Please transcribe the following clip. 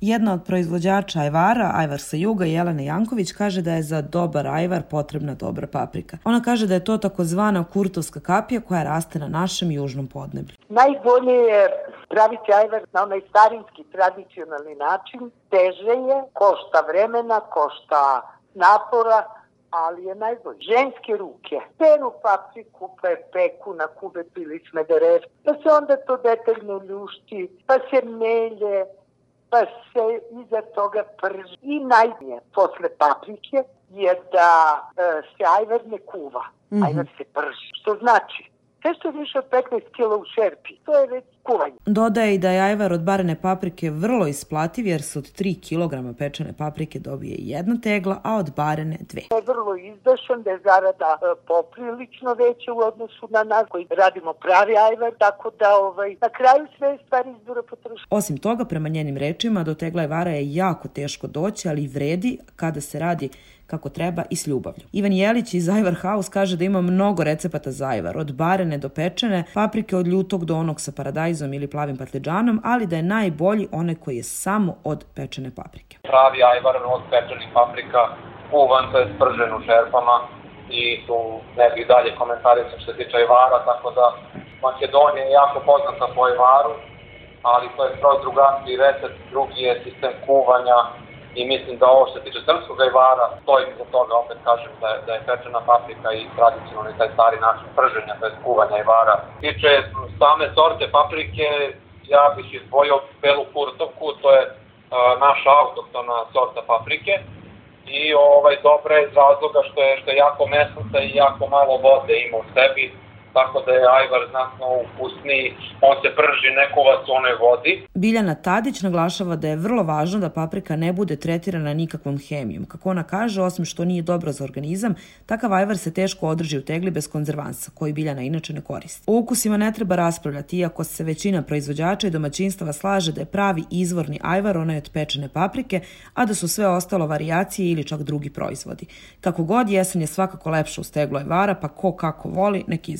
Jedna od proizvođača ajvara, ajvar sa juga, Jelena Janković, kaže da je za dobar ajvar potrebna dobra paprika. Ona kaže da je to takozvana kurtovska kapija koja raste na našem južnom podneblju. Najbolje je praviti ajvar na onaj starinski, tradicionalni način. Teže je, košta vremena, košta napora, ali je najbolje. Ženske ruke peru papriku, pa je peku na kubet ili smederev, pa se onda to detaljno ljušti, pa se melje, pa se iza toga prži. I najbolje posle paprike je da se ajvar ne kuva, ajvar se prži. Što znači, sve što je više od 15 kila u šerpi, to je već kuvanje. Dodaje i da je ajvar od barene paprike vrlo isplativ jer se od 3 kg pečene paprike dobije 1 tegla, a od barene 2. To je vrlo izdašan, da je zarada poprilično veća u odnosu na nas koji radimo pravi ajvar, tako da na kraju sve stvari izbora potroši. Osim toga, prema njenim rečima, do tegla ajvara je jako teško doći, ali vredi kada se radi kako treba i s ljubavlju. Ivan Jelić iz Ajvar House kaže da ima mnogo recepata za ajvar, od barene do pečene, paprike od ljutog do onog sa paradajzom ili plavim patliđanom, ali da je najbolji onaj koji je samo od pečene paprike. Pravi ajvar od pečenih paprika, kuvan, to je spržen u šerpama i tu ne bih dalje komentarisao što se tiče ajvara, tako da Makedonija je jako poznata po ajvaru, ali to je skroz drugačiji recept, drugi je sistem kuvanja. I mislim da ovo što se tiče srpskog ajvara, stojim za toga, opet kažem da je pečena paprika i tradicionalni taj stari način prženja, to je kuvanja ajvara. Tiče same sorte paprike, ja bih izdvojio belu kurtovku, to je naša autohtona sorta paprike. I dobra je iz razloga što je jako mesnata i jako malo vode ima u sebi, tako da je ajvar znatno ukusniji, on se prži, ne kuva se u onoj vodi. Biljana Tadić naglašava da je vrlo važno da paprika ne bude tretirana nikakvom hemijom. Kako ona kaže, osim što nije dobro za organizam, takav ajvar se teško održi u tegli bez konzervansa, koji Biljana inače ne koristi. O ukusima ne treba raspravljati, iako se većina proizvođača i domaćinstava slaže da je pravi izvorni ajvar onaj od pečene paprike, a da su sve ostalo varijacije ili čak drugi proizvodi. Kako god, jesen je svakako lepša uz teglo ajvara, pa ko kako voli, nek izvoli.